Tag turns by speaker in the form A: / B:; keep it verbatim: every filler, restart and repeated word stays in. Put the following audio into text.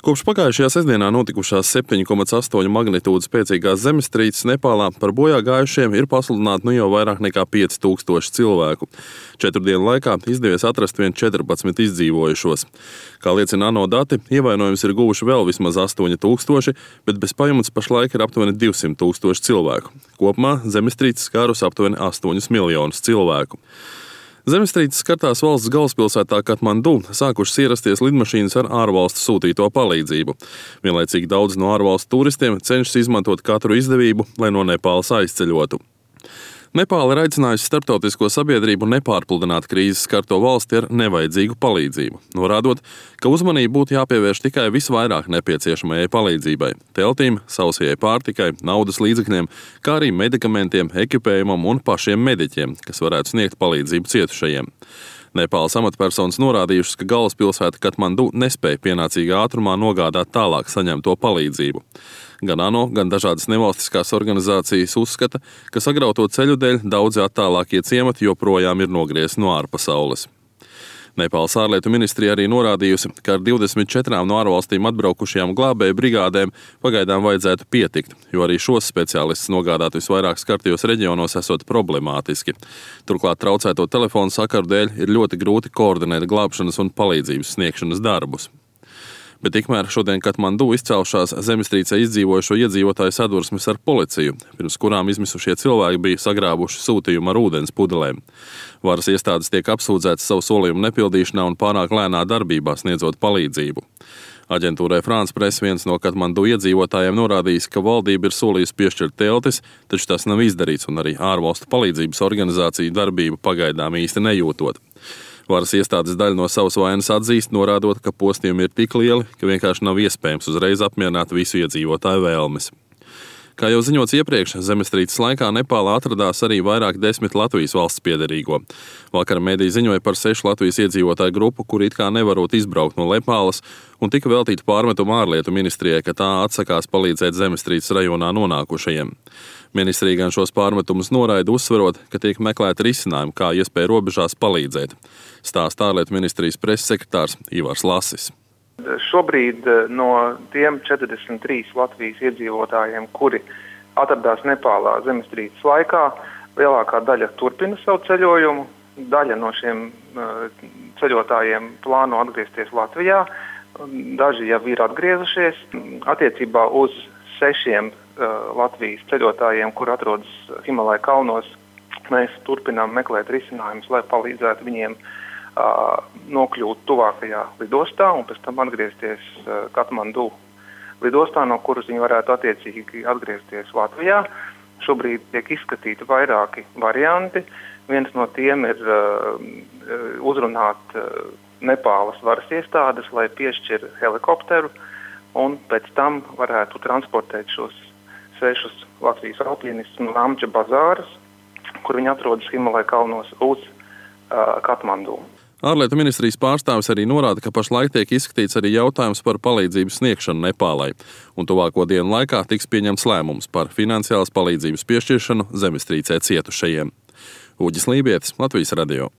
A: Kopš pagājušajā sestdienā notikušās septiņi komats astoņi magnitūdas spēcīgās zemestrīces Nepālā par bojā gājušiem ir pasludināti nu jau vairāk nekā pieci tūkstoši cilvēku. Četru dienu laikā izdevies atrast vien četrpadsmit izdzīvojušos. Kā liecina ANO dati, ievainojums ir guvuši vēl vismaz astoņi tūkstoši, bet bez pajumtes pašlaik ir aptuveni divsimt tūkstoši cilvēku. Kopumā zemestrīce skārus aptuveni astoņus miljonus cilvēku. Zemestrīces skartās valsts galvaspilsētā Katmandu sākušas ierasties lidmašīnas ar ārvalstu sūtīto palīdzību. Vienlaicīgi daudz no ārvalstu turistiem cenšas izmantot katru izdevību, lai no Nepālas aizceļotu. Nepāla ir aicinājusi starptautisko sabiedrību nepārpludināt krīzes skarto valsti ar nevajadzīgu palīdzību, norādot, ka uzmanība būtu jāpievērš tikai visvairāk nepieciešamajai palīdzībai – teltīm, sausajai pārtikai, naudas līdzekļiem, kā arī medikamentiem, ekipējumam un pašiem mediķiem, kas varētu sniegt palīdzību cietušajiem. Nepālas amatpersonas norādījušas, ka galvaspilsēta Katmandu nespēja pienācīgā ātrumā nogādāt tālāk saņemto palīdzību. Gan ANO, gan dažādas nevalstiskās organizācijas uzskata, ka sagrauto ceļu dēļ daudzi attālākie ciemati joprojām ir nogriezti no ārpasaules. Nepālas ārlietu ministrija arī norādījusi, ka ar divdesmit četrām no ārvalstīm atbraukušajām glābēju brigādēm pagaidām vajadzētu pietikt, jo arī šos speciālistus nogādāt visvairāk skartajos reģionos esot problemātiski. Turklāt traucēto telefonu sakaru dēļ ir ļoti grūti koordinēt glābšanas un palīdzības sniegšanas darbus. Bet tikmēr šodien Katmandu izcēlušās zemestrīcē izdzīvojušo iedzīvotāju sadursmes ar policiju, pirms kurām izmisušie cilvēki bija sagrābuši sūtījumu ar ūdens pudelēm. Varas iestādes tiek apsūdzētas savu solījumu nepildīšanā un pārāk lēnā darbībā sniedzot palīdzību. Aģentūrai France Press viens no Katmandu iedzīvotājiem norādījis, ka valdība ir solījusi piešķirt teltis, taču tas nav izdarīts un arī ārvalstu palīdzības organizāciju darbību pagaidām īsti nejūtot. Varas iestādes daļu no savas vainas atzīst, norādot, ka postījumi ir tik lieli, ka vienkārši nav iespējams uzreiz apmierināt visu iedzīvotāju vēlmes. Kā jau ziņots iepriekš, zemestrīces laikā Nepālā atradās arī vairāk desmit Latvijas valsts piederīgo. Vakar mediji ziņoja par sešu Latvijas iedzīvotāju grupu, kuri it kā nevarot izbraukt no Nepālas, un tika veltīta pārmetuma ārlietu ministrijai, ka tā atsakās palīdzēt zemestrīces rajonā nonākušajiem. Ministrija gan šos pārmetumus noraida, uzsverot, ka tiek meklēti risinājumi, kā iespēja robežās palīdzēt. Stāsta ārlietu ministrijas preses sekretārs Ivars Lasis.
B: Šobrīd no tiem četrdesmit trīs Latvijas iedzīvotājiem, kuri atradās Nepālā zemestrīces laikā, lielākā daļa turpina savu ceļojumu. Daļa no šiem ceļotājiem plāno atgriezties Latvijā, daži jau ir atgriezušies. Attiecībā uz sešiem Latvijas ceļotājiem, kur atrodas Himalaju kalnos, mēs turpinām meklēt risinājumus, lai palīdzētu viņiem nokļūt tuvākajā lidostā un pēc tam atgriezties Katmandu lidostā, no kuras viņi varētu attiecīgi atgriezties Latvijā. Šobrīd tiek izskatīti vairāki varianti. Viens no tiem ir uzrunāt Nepālas varas iestādes, lai piešķir helikopteru un pēc tam varētu transportēt šos sešus Latvijas alpīnistus no Amča bazāras, kur viņi atrodas Himalaju kalnos, uz Katmandu.
A: Ārlietu ministrijas pārstāvis arī norāda, ka pašlaik tiek izskatīts arī jautājums par palīdzības sniegšanu Nepālai, un tuvāko dienu laikā tiks pieņemts lēmums par finansiālas palīdzības piešķiršanu zemestrīcē cietušajiem. Uģis Lībietis, Latvijas radio.